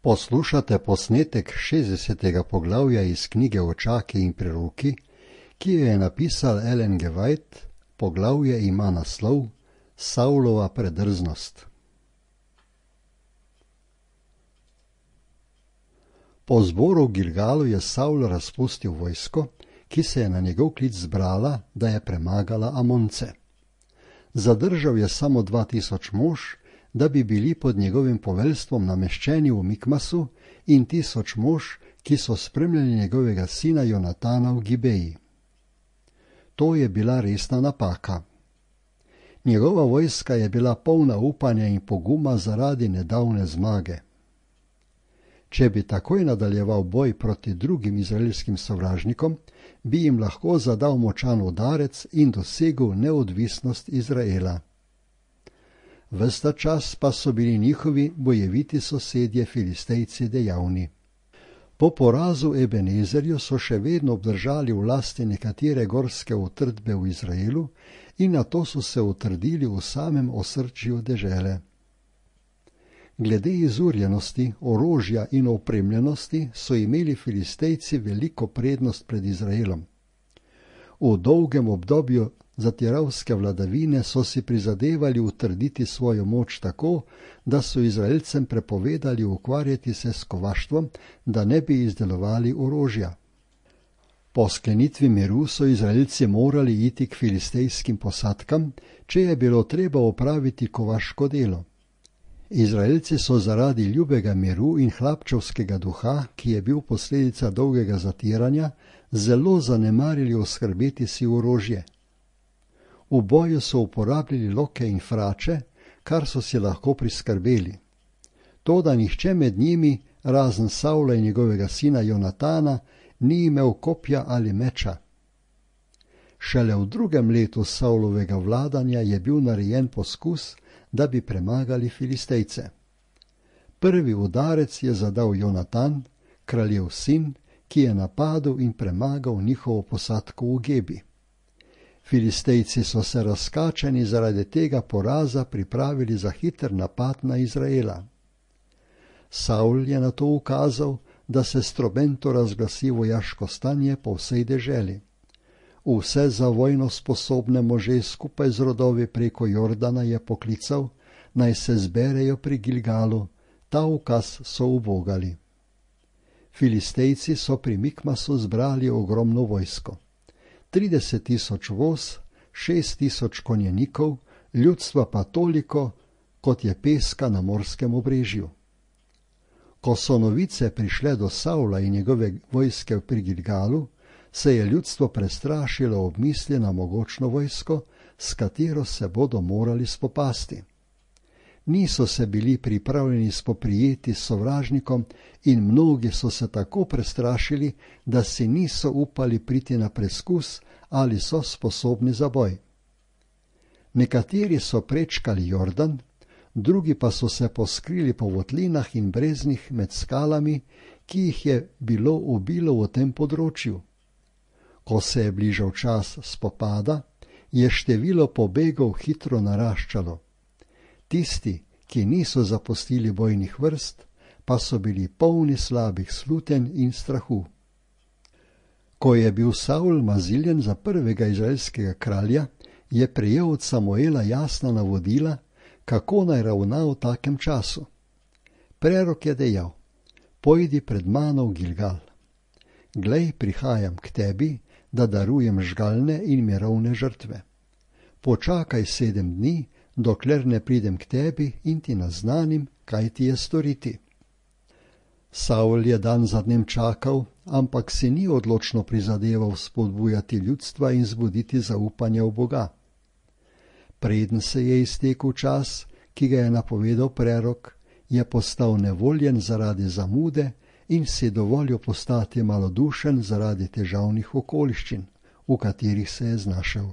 Poslušate posnetek 60. poglavja iz knjige Očaki in preroki, ki jo je napisal Ellen G. White. Poglavje ima naslov Saulova predrznost. Po zboru v Gilgalu je Saul razpustil vojsko, ki se je na njegov klic zbrala, da je premagala Amonce. Zadržal je samo 2000 mož, da bi bili pod njegovim poveljstvom nameščeni v Mikmasu, in 1000 mož, ki so spremljali njegovega sina Jonatana v Gibeji. To je bila resna napaka. Njegova vojska je bila polna upanja in poguma zaradi nedavne zmage. Če bi takoj nadaljeval boj proti drugim izraelskim sovražnikom, bi jim lahko zadal močan udarec in dosegel neodvisnost Izraela. Ves ta čas pa so bili njihovi bojeviti sosedje Filistejci dejavni. Po porazu Ebenezerju so še vedno obdržali v lasti nekatere gorske utrdbe v Izraelu in nato so se utrdili v samem osrčju dežele. Glede izurjenosti, orožja in opremljenosti so imeli Filistejci veliko prednost pred Izraelom. V dolgem obdobju zatiralske vladavine so si prizadevali utrditi svojo moč tako, da so Izraelcem prepovedali ukvarjati se s kovaštvom, da ne bi izdelovali orožja. Po sklenitvi miru so Izraelci morali iti k filistejskim posadkam, če je bilo treba opraviti kovaško delo. Izraelci so zaradi ljubega miru in hlapčevskega duha, ki je bil posledica dolgega zatiranja, zelo zanemarili oskrbeti si orožje. V boju so uporabljali loke in frače, kar so si lahko priskrbeli. Toda nihče med njimi, razen Saula in njegovega sina Jonatana, ni imel kopja ali meča. Šele v 2. letu Saulovega vladanja je bil narejen poskus, da bi premagali Filistejce. Prvi udarec je zadal Jonatan, kraljev sin, ki je napadel in premagal njihovo posadko v Gebi. Filistejci so se razkačeni zaradi tega poraza pripravili za hiter napad na Izraela. Saul je na to ukazal, da se s trobento razglasi vojaško stanje po vsej deželi. Vse za vojno sposobne može skupaj z rodovi preko Jordana je poklical, naj se zberejo pri Gilgalu, ta ukaz so ubogali. Filistejci so pri Mikmasu zbrali ogromno vojsko. 30 000 voz, 6 000 konjenikov, ljudstva pa toliko, kot je peska na morskem obrežju. Ko so novice prišle do Saula in njegove vojske pri Gilgalu, se je ljudstvo prestrašilo ob misli na mogočno vojsko, s katero se bodo morali spopasti. Niso se bili pripravljeni spoprijeti s sovražnikom in mnogi so se tako prestrašili, da si niso upali priti na preskus, ali so sposobni za boj. Nekateri so prečkali Jordan, drugi pa so se poskrili po votlinah in breznih med skalami, ki jih je bilo ubilo v tem področju. Ko se je bližal čas spopada, je število pobegov hitro naraščalo. Tisti, ki niso zapustili bojnih vrst, pa so bili polni slabih slutenj in strahu. Ko je bil Saul maziljen za prvega izraelskega kralja, je prejel od Samuela jasna navodila, kako naj ravna v takem času. Prerok je dejal: pojdi pred mano v Gilgal. Glej, prihajam k tebi, da darujem žgalne in mirovne žrtve. Počakaj 7 dni, dokler ne pridem k tebi in ti naznanim, kaj ti je storiti. Saul je dan za dnem čakal, ampak si ni odločno prizadeval spodbujati ljudstva in zbuditi zaupanja v Boga. Preden se je iztekel čas, ki ga je napovedal prerok, je postal nevoljen zaradi zamude in si dovolil postati malodušen zaradi težavnih okoliščin, v katerih se je znašel.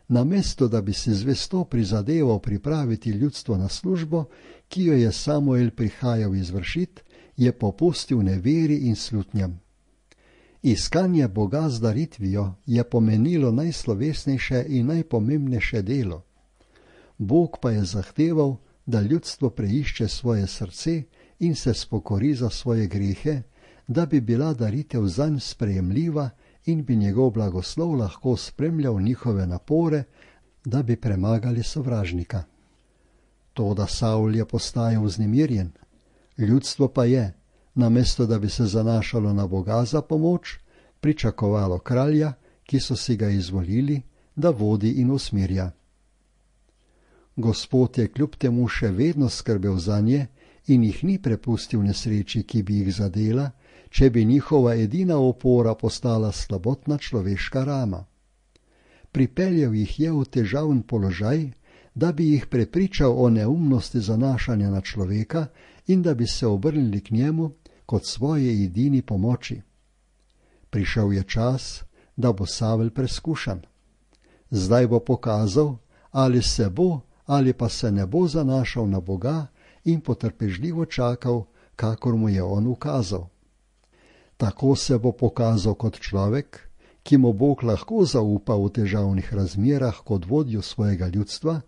Namesto da bi si zvesto prizadeval pripraviti ljudstvo na službo, ki jo je Samuel prihajal izvršiti, je popustil neveri in slutnjam. Iskanje Boga z daritvijo je pomenilo najslovesnejše in najpomembnejše delo. Bog pa je zahteval, da ljudstvo preišče svoje srce in se spokori za svoje grehe, da bi bila daritev zanj sprejemljiva in bi njegov blagoslov lahko spremljal njihove napore, da bi premagali sovražnika. Toda Savl je postajal vznemirjen. Ljudstvo pa je, namesto da bi se zanašalo na Boga za pomoč, pričakovalo kralja, ki so si ga izvolili, da vodi in usmirja. Gospod je kljub temu še vedno skrbel zanje in jih ni prepustil nesreči, ki bi jih zadela, če bi njihova edina opora postala slabotna človeška rama. Pripeljal jih je v težaven položaj, da bi jih prepričal o neumnosti zanašanja na človeka in da bi se obrnili k njemu kot svoje edini pomoči. Prišel je čas, da bo Savel preskušan. Zdaj bo pokazal, ali se bo ali pa se ne bo zanašal na Boga in potrpežljivo čakal, kakor mu je on ukazal. Tako se bo pokazal kot človek, ki mu Bog lahko zaupa v težavnih razmerah kot vodjo svojega ljudstva,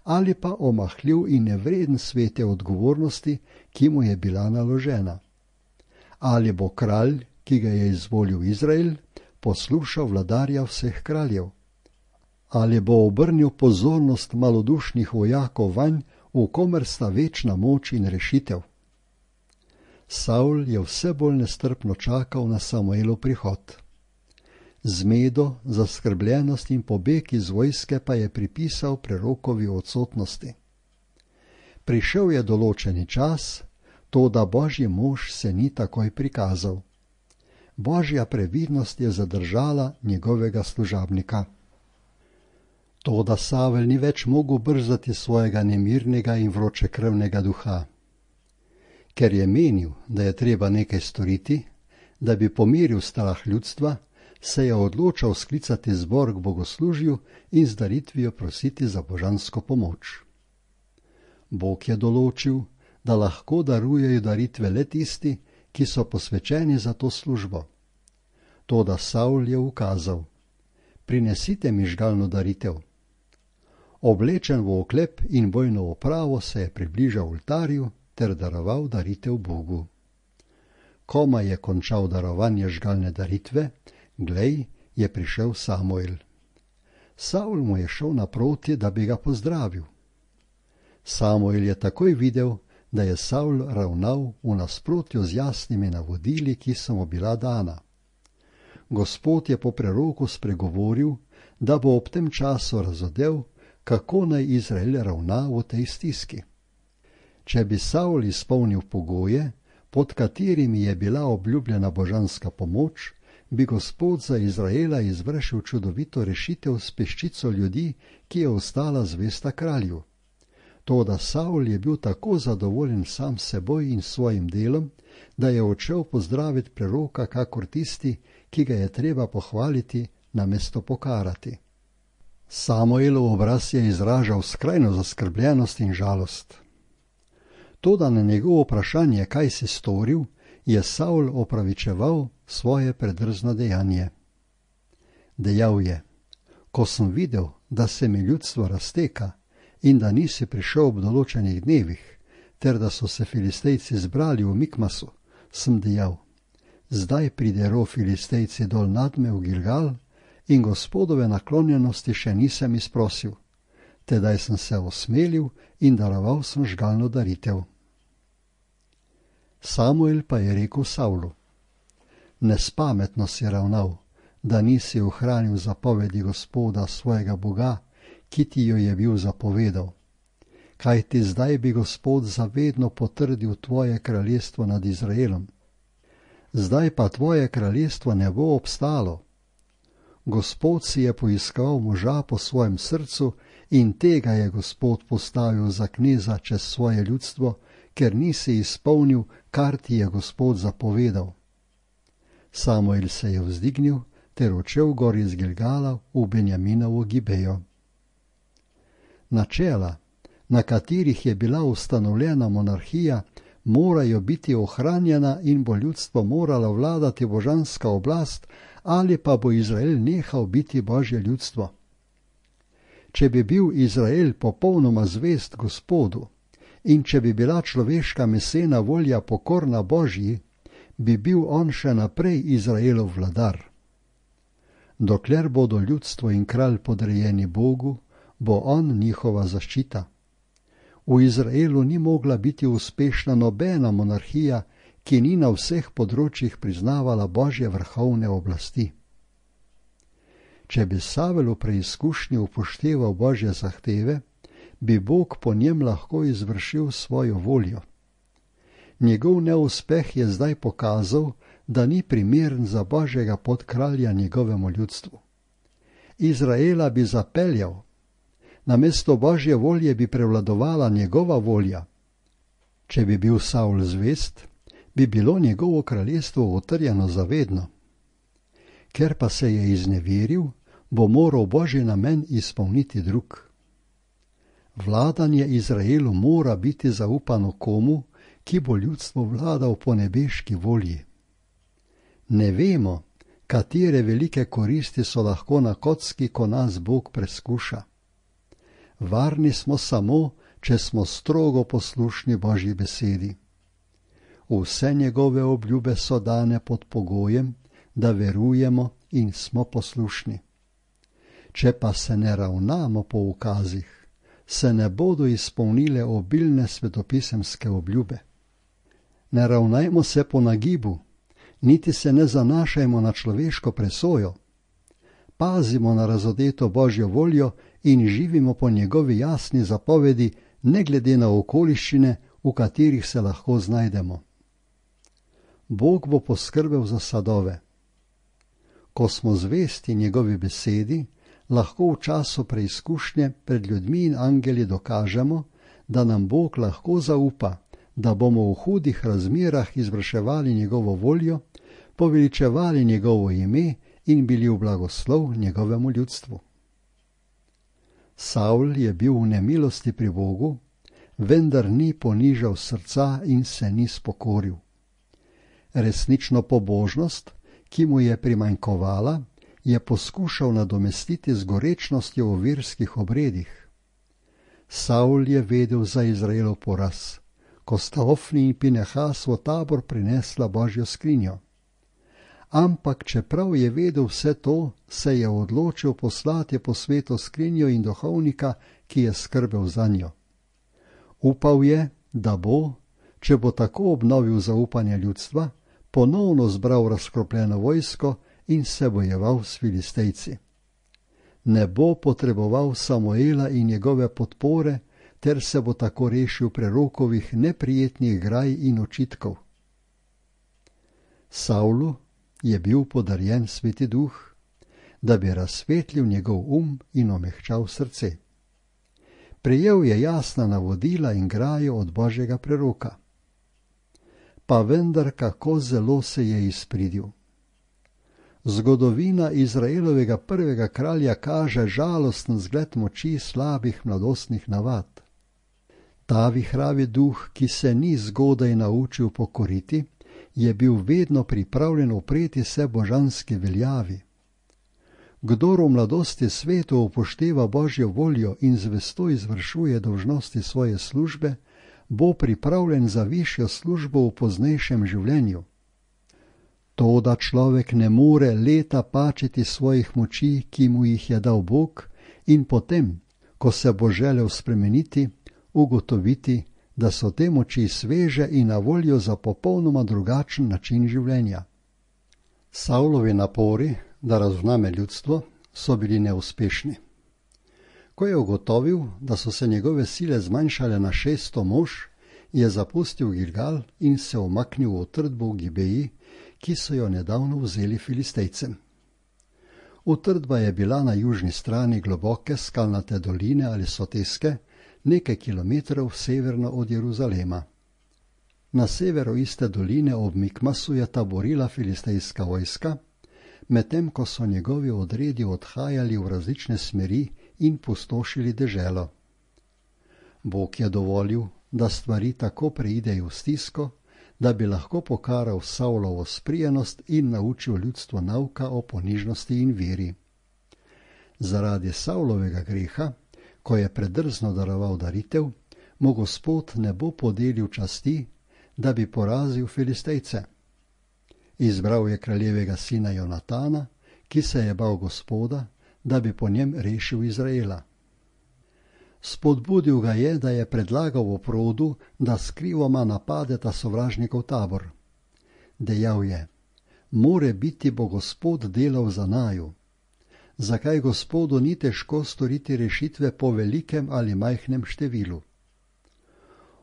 ali pa omahljiv in nevreden svete odgovornosti, ki mu je bila naložena. Ali bo kralj, ki ga je izvolil Izrael, poslušal vladarja vseh kraljev? Ali bo obrnil pozornost malodušnih vojakov vanj, v komer sta večna moč in rešitev? Savl je vse bolj nestrpno čakal na Samuelov prihod. Zmedo, zaskrbljenost in pobeg iz vojske pa je pripisal prerokovi odsotnosti. Prišel je določeni čas, toda Božji mož se ni takoj prikazal. Božja previdnost je zadržala njegovega služabnika. Toda Savel ni več mogel brzdati svojega nemirnega in vročekrvnega duha. Ker je menil, da je treba nekaj storiti, da bi pomiril strah ljudstva, se je odločal sklicati zbor k bogoslužju in z daritvijo prositi za božansko pomoč. Bog je določil, da lahko darujejo daritve le tisti, ki so posvečeni za to službo. Toda Savl je ukazal: prinesite mi žgalno daritev. Oblečen v oklep in bojno opravo se je približal oltarju ter daroval daritev Bogu. Komaj je končal darovanje žgalne daritve, glej, je prišel Samuel. Savl mu je šel naproti, da bi ga pozdravil. Samuel je takoj videl, da je Savl ravnal v nasprotju z jasnimi navodili, ki so mu bila dana. Gospod je po preroku spregovoril, da bo ob tem času razodel, kako naj Izrael ravna v tej stiski. Če bi Savl izpolnil pogoje, pod katerimi je bila obljubljena božanska pomoč, bi Gospod za Izraela izvršil čudovito rešitev s peščico ljudi, ki je ostala zvesta kralju. Toda Savl je bil tako zadovoljen sam seboj in svojim delom, da je odšel pozdraviti preroka kakor tisti, ki ga je treba pohvaliti, namesto pokarati. Samuelov obraz je izražal skrajno zaskrbljenost in žalost. Toda na njegovo vprašanje, kaj si storil, je Savl opravičeval svoje predrzno dejanje. Dejal je: ko sem videl, da se mi ljudstvo razteka in da nisi prišel ob določenih dnevih, ter da so se Filistejci zbrali v Mikmasu, sem dejal: zdaj pridejo Filistejci dol nadme v Gilgal in Gospodove naklonjenosti še nisem izprosil. Tedaj sem se osmelil in daroval sem žgalno daritev. Samuel pa je rekel Savlu: nespametno si ravnal, da nisi ohranil zapovedi Gospoda svojega Boga, ki ti jo je bil zapovedal. Kajti zdaj bi Gospod zavedno potrdil tvoje kraljestvo nad Izraelom. Zdaj pa tvoje kraljestvo ne bo obstalo. Gospod si je poiskal moža po svojem srcu in tega je Gospod postavil za kneza čez svoje ljudstvo, ker nisi izpolnil, kar ti je Gospod zapovedal. Samuel se je vzdignil ter odšel gor iz Gilgala v Benjaminovo Gibejo. Načela, na katerih je bila ustanovljena monarhija, morajo biti ohranjena in bo ljudstvo moralo vladati božanska oblast, ali pa bo Izrael nehal biti Božje ljudstvo. Če bi bil Izrael popolnoma zvest Gospodu in če bi bila človeška mesena volja pokorna Božji, bi bil on še naprej Izraelov vladar. Dokler bodo ljudstvo in kralj podrejeni Bogu, bo on njihova zaščita. V Izraelu ni mogla biti uspešna nobena monarhija, ki ni na vseh področjih priznavala Božje vrhovne oblasti. Če bi Savel v preizkušnji upošteval Božje zahteve, bi Bog po njem lahko izvršil svojo voljo. Njegov neuspeh je zdaj pokazal, da ni primeren za Božjega podkralja njegovemu ljudstvu. Izraela bi zapeljal, namesto Božje volje bi prevladovala njegova volja. Če bi bil Savl zvest, bi bilo njegovo kraljestvo utrjeno zavedno. Ker pa se je izneveril, bo moral Božji namen izpolniti drug. Vladanje Izraelu mora biti zaupano komu, ki bo ljudstvo vladal po nebeški volji. Ne vemo, katere velike koristi so lahko na kocki, ko nas Bog preskuša. Varni smo samo, če smo strogo poslušni Božji besedi. Vse njegove obljube so dane pod pogojem, da verujemo in smo poslušni. Če pa se ne ravnamo po ukazih, se ne bodo izpolnile obilne svetopisemske obljube. Ne ravnajmo se po nagibu, niti se ne zanašajmo na človeško presojo. Pazimo na razodeto Božjo voljo in živimo po njegovi jasni zapovedi, ne glede na okoliščine, v katerih se lahko znajdemo. Bog bo poskrbel za sadove. Ko smo zvesti njegovi besedi, lahko v času preizkušnje pred ljudmi in angeli dokažemo, da nam Bog lahko zaupa, da bomo v hudih razmerah izvrševali njegovo voljo, poveličevali njegovo ime in bili v blagoslov njegovemu ljudstvu. Savl je bil v nemilosti pri Bogu, vendar ni ponižal srca in se ni spokoril. Resnično pobožnost, ki mu je primanjkovala, je poskušal nadomestiti z gorečnostjo v verskih obredih. Savl je vedel za Izraelov poraz, ko sta Ofni in Pinehas v tabor prinesla Božjo skrinjo. Ampak čeprav je vedel vse to, se je odločil poslati po svetu skrinjo in duhovnika, ki je skrbel zanjo. Upal je, da bo, če bo tako obnovil zaupanje ljudstva, ponovno zbral razkropljeno vojsko in se bojeval s Filistejci. Ne bo potreboval Samuela in njegove podpore, ter se bo tako rešil prerokovih neprijetnih graj in očitkov. Savlu je bil podarjen Sveti Duh, da bi razsvetlil njegov in omehčal srce. Prejel je jasna navodila in grajo od Božjega preroka. Pa vendar kako zelo se je izpridil. Zgodovina Izraelovega prvega kralja kaže žalosten zgled moči slabih mladostnih navad. Ta vihravi duh, ki se ni zgodaj naučil pokoriti, je bil vedno pripravljen upreti se božanski veljavi. Kdor v mladosti svetu upošteva Božjo voljo in zvesto izvršuje dolžnosti svoje službe, bo pripravljen za višjo službo v poznejšem življenju. To, da človek ne more leta pačiti svojih moči, ki mu jih je dal Bog, in potem, ko se bo želel spremeniti, ugotoviti, da so te moči sveže in na voljo za popolnoma drugačen način življenja. Savlovi napori, da razvname ljudstvo, so bili neuspešni. Ko je ugotovil, da so se njegove sile zmanjšale na 600 mož, je zapustil Gilgal in se umaknil v utrdbo v Gibeji, ki so jo nedavno vzeli Filistejcem. Utrdba je bila na južni strani globoke skalnate doline ali soteske, nekaj kilometrov severno od Jeruzalema. Na severu iste doline ob Mikmasu je taborila filistejska vojska, medtem ko so njegovi odredi odhajali v različne smeri in pustošili deželo. Bog je dovolil, da stvari tako preidejo v stisko, da bi lahko pokaral Savlovo sprijenost in naučil ljudstvo nauka o ponižnosti in veri. Zaradi Savlovega greha, ko je predrzno daroval daritev, mu Gospod ne bo podelil časti, da bi porazil Filistejce. Izbral je kraljevega sina Jonatana, ki se je bal Gospoda, da bi po njem rešil Izraela. Spodbudil ga je, da je predlagal oprodu, da skrivoma napadeta sovražnikov tabor. Dejal je: more biti bo Gospod delal za naju. Zakaj Gospodu ni težko storiti rešitve po velikem ali majhnem številu?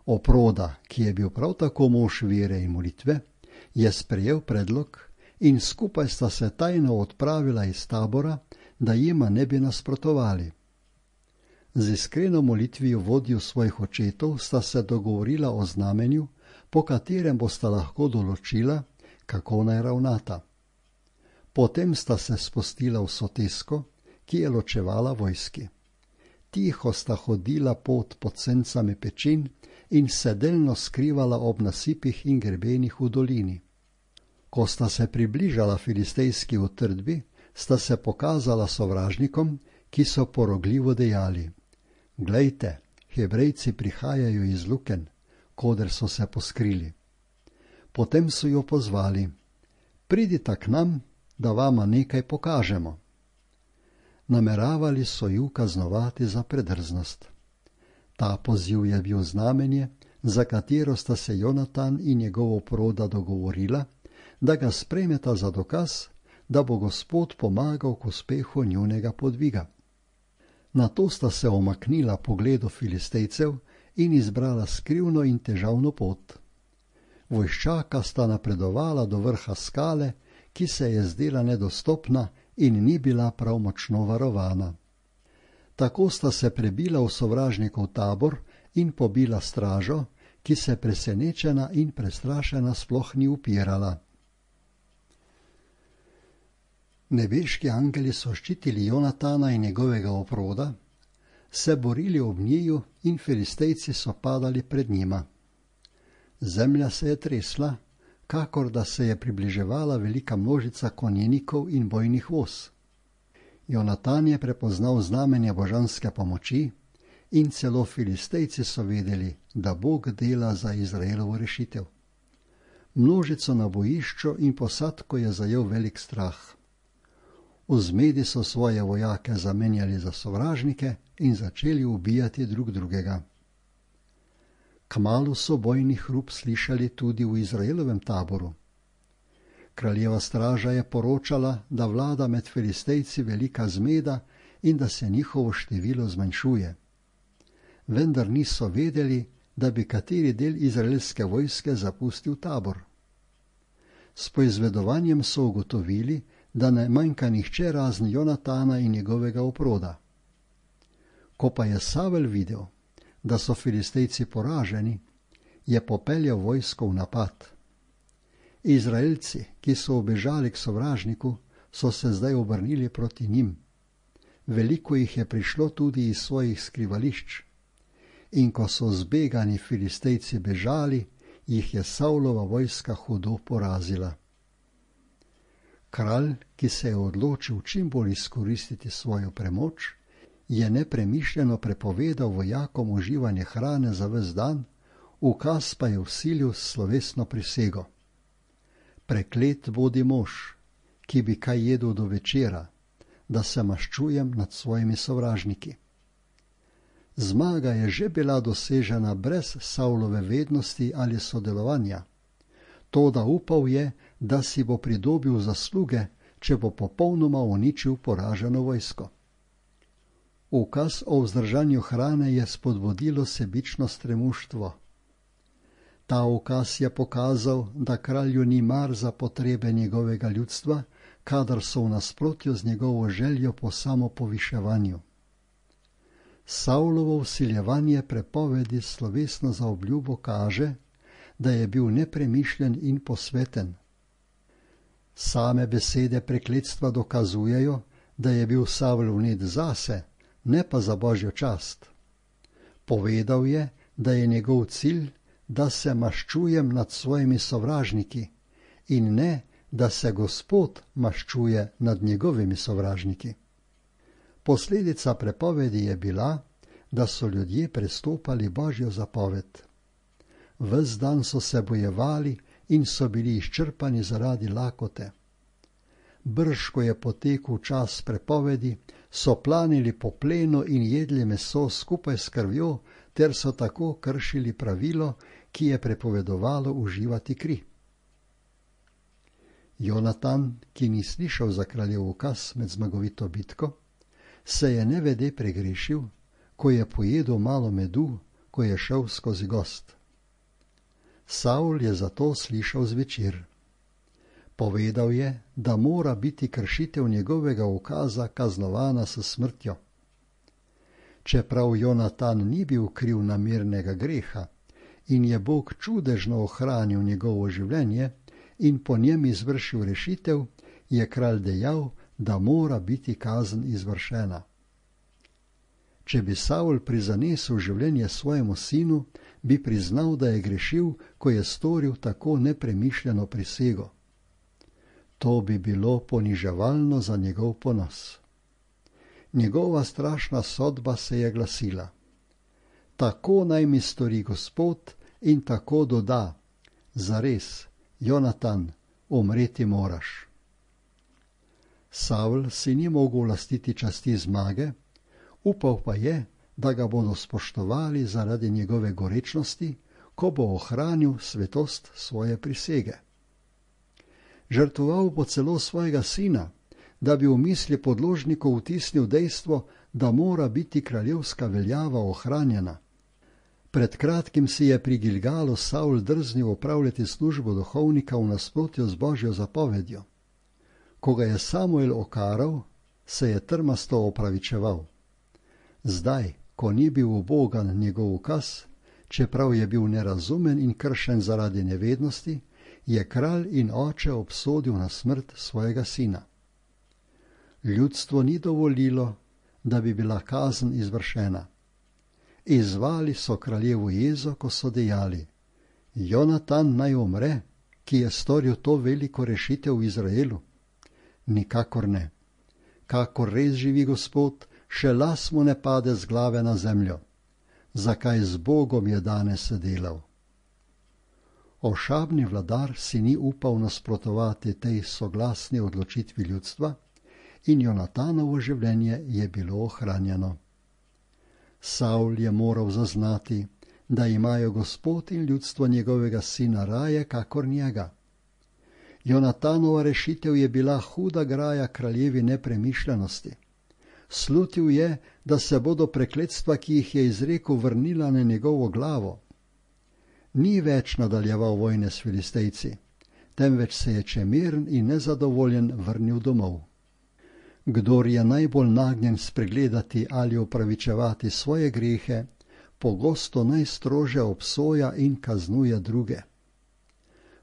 Oproda, ki je bil prav tako mož vere in molitve, je sprejel predlog in skupaj sta se tajno odpravila iz tabora, da jima ne bi nasprotovali. Z iskreno molitvijo vodju svojih očetov sta se dogovorila o znamenju, po katerem bosta lahko določila, kako naj ravnata. Potem sta se spustila v sotesko, ki je ločevala vojski. Tiho sta hodila pot pod sencami pečin in se delno skrivala ob nasipih in grebenih v dolini. Ko sta se približala filistejski utrdbi, sta se pokazala sovražnikom, ki so porogljivo dejali: glejte, Hebrejci prihajajo iz luken, koder so se poskrili. Potem so jo pozvali: pridita k nam, da vama nekaj pokažemo. Nameravali so ju kaznovati za predrznost. Ta poziv je bil znamenje, za katero sta se Jonatan in njegova oproda dogovorila, da ga sprejmeta za dokaz, da bo Gospod pomagal k uspehu njunega podviga. Nato sta se omaknila pogledu Filistejcev in izbrala skrivno in težavno pot. Vojščaka sta napredovala do vrha skale, ki se je zdela nedostopna in ni bila prav močno varovana. Tako sta se prebila v sovražnikov tabor in pobila stražo, ki se presenečena in prestrašena sploh ni upirala. Nebeški angeli so ščitili Jonatana in njegovega oproda, se borili ob njiju in Filistejci so padali pred njima. Zemlja se je tresla, kakor da se je približevala velika množica konjenikov in bojnih voz. Jonatan je prepoznal znamenje božanske pomoči in celo Filistejci so vedeli, da Bog dela za Izraelovo rešitev. Množico na bojišču in posadko je zajel velik strah. V zmedi so svoje vojake zamenjali za sovražnike in začeli ubijati drug drugega. Kmalu so bojni hrup slišali tudi v Izraelovem taboru. Kraljeva straža je poročala, da vlada med Filistejci velika zmeda in da se njihovo število zmanjšuje. Vendar niso vedeli, da bi kateri del izraelske vojske zapustil tabor. S poizvedovanjem so ugotovili, da ne manjka nihče razen Jonatana in njegovega oproda. Ko pa je Savel videl, da so Filistejci poraženi, je popeljal vojsko v napad. Izraelci, ki so ubežali k sovražniku, so se zdaj obrnili proti njim. Veliko jih je prišlo tudi iz svojih skrivališč. In ko so zbegani Filistejci bežali, jih je Savlova vojska hudo porazila. Kralj, ki se je odločil čim bolj izkoristiti svojo premoč, je nepremišljeno prepovedal vojakom uživanje hrane za ves dan, ukaz pa je vsilil s slovesno prisego. Preklet bodi mož, ki bi kaj jedel do večera, da se maščujem nad svojimi sovražniki. Zmaga je že bila dosežena brez Savlove vednosti ali sodelovanja. Toda upal je, da si bo pridobil zasluge, če bo popolnoma uničil poraženo vojsko. Ukaz o vzdržanju hrane je spodbudilo sebično stremuštvo. Ta ukaz je pokazal, da kralju ni mar za potrebe njegovega ljudstva, kadar so v nasprotju z njegovo željo po samopoviševanju. Savlovo vsiljevanje prepovedi slovesno za obljubo kaže, da je bil nepremišljen in posveten. Same besede prekletstva dokazujejo, da je bil Savl vnet zase, ne pa za Božjo čast. Povedal je, da je njegov cilj, da se maščujem nad svojimi sovražniki in ne, da se Gospod maščuje nad njegovimi sovražniki. Posledica prepovedi je bila, da so ljudje prestopali Božjo zapoved. Ves dan so se bojevali in so bili izčrpani zaradi lakote. Brž, ko je potekel čas prepovedi, so planili po plenu in jedli meso skupaj s krvjo, ter so tako kršili pravilo, ki je prepovedovalo uživati kri. Jonatan, ki ni slišal za kraljev ukaz med zmagovito bitko, se je nevede pregrešil, ko je pojedel malo medu, ko je šel skozi gozd. Savl je zato slišal zvečer. Povedal je, da mora biti kršitev njegovega ukaza kaznovana s smrtjo. Čeprav Jonatan ni bil kriv namernega greha in je Bog čudežno ohranil njegovo življenje in po njem izvršil rešitev, je kralj dejal, da mora biti kazen izvršena. Če bi Savl prizanesel življenje svojemu sinu, bi priznal, da je grešil, ko je storil tako nepremišljeno prisego. To bi bilo poniževalno za njegov ponos. Njegova strašna sodba se je glasila: tako naj mi stori Gospod, in tako doda: zares, Jonatan, umreti moraš. Savl si ni mogel lastiti časti zmage, upal pa je, da ga bodo spoštovali zaradi njegove gorečnosti, ko bo ohranil svetost svoje prisege. Žrtvoval bo celo svojega sina, da bi v misli podložnikov vtisnil dejstvo, da mora biti kraljevska veljava ohranjena. Pred kratkim si je pri Gilgalu Savl drznil opravljati službo duhovnika v nasprotju z Božjo zapovedjo. Ko ga je Samuel okaral, se je trmasto opravičeval. Zdaj, ko ni bil ubogan njegov ukaz, čeprav je bil nerazumen in kršen zaradi nevednosti, je kralj in oče obsodil na smrt svojega sina. Ljudstvo ni dovolilo, da bi bila kazen izvršena. Izzvali so kraljevu jezo, ko so dejali: Jonatan naj umre, ki je storil to veliko rešitev v Izraelu. Nikakor ne. Kakor res živi Gospod, še las mu ne pade z glave na zemljo. Zakaj z Bogom je danes delal? Ošabni vladar si ni upal nasprotovati tej soglasni odločitvi ljudstva in Jonatanovo življenje je bilo ohranjeno. Savl je moral zaznati, da imajo Gospod in ljudstvo njegovega sina raje kakor njega. Jonatanova rešitev je bila huda graja kraljevi nepremišljenosti. Slutil je, da se bodo prekletstva, ki jih je izrekel, vrnila na njegovo glavo. Ni več nadaljeval vojne s Filistejci, temveč se je čemeren in nezadovoljen vrnil domov. Kdor je najbolj nagnjen spregledati ali opravičevati svoje grehe, pogosto najstrože obsoja in kaznuje druge.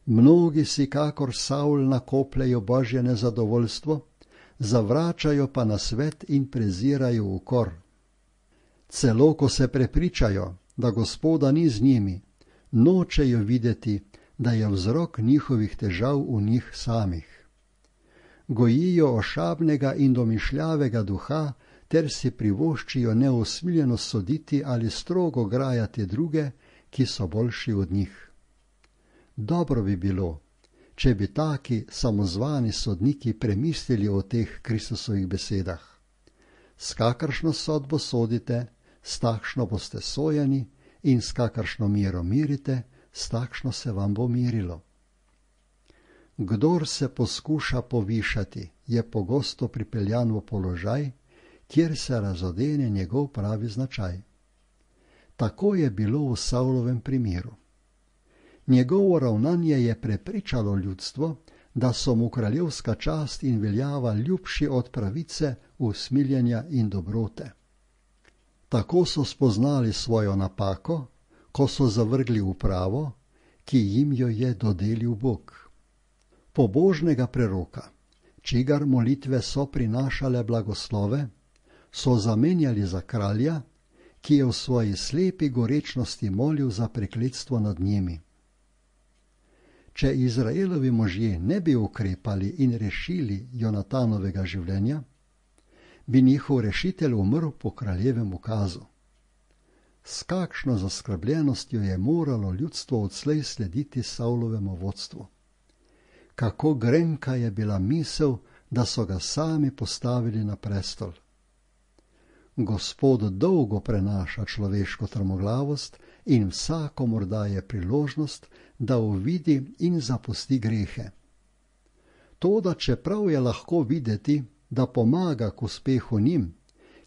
Mnogi si kakor Savl nakopljejo Božje nezadovoljstvo, zavračajo pa nasvet in prezirajo ukor. Celo ko se prepričajo, da Gospoda ni z njimi, nočejo videti, da je vzrok njihovih težav v njih samih. Gojijo ošabnega in domišljavega duha ter si privoščijo neusmiljeno soditi ali strogo grajati druge, ki so boljši od njih. Dobro bi bilo, če bi taki samozvani sodniki premislili o teh Kristusovih besedah. S kakršno sodbo sodite, s takšno boste sojeni, in s kakršno mero mirite, s takšno se vam bo mirilo. Kdor se poskuša povišati, je pogosto pripeljan v položaj, kjer se razodene njegov pravi značaj. Tako je bilo v Savlovem primeru. Njegovo ravnanje je prepričalo ljudstvo, da so mu kraljevska čast in veljava ljubši od pravice, usmiljenja in dobrote. Tako so spoznali svojo napako, ko so zavrgli upravo, ki jim jo je dodelil Bog. Pobožnega preroka, čigar molitve so prinašale blagoslove, so zamenjali za kralja, ki je v svoji slepi gorečnosti molil za prekletstvo nad njimi. Če Izraelovi možje ne bi ukrepali in rešili Jonatanovega življenja, bi njihov rešitelj umrl po kraljevem ukazu. S kakšno zaskrbljenostjo je moralo ljudstvo odslej slediti Savlovemu vodstvu. Kako grenka je bila misel, da so ga sami postavili na prestol. Gospod dolgo prenaša človeško trmoglavost in vsakomur daje priložnost, da uvidi in zapusti grehe. Toda čeprav je lahko videti, da pomaga k uspehu njim,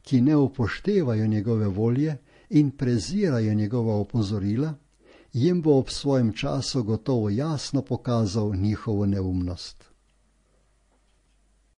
ki ne upoštevajo njegove volje in prezirajo njegova opozorila, jim bo ob svojem času gotovo jasno pokazal njihovo neumnost.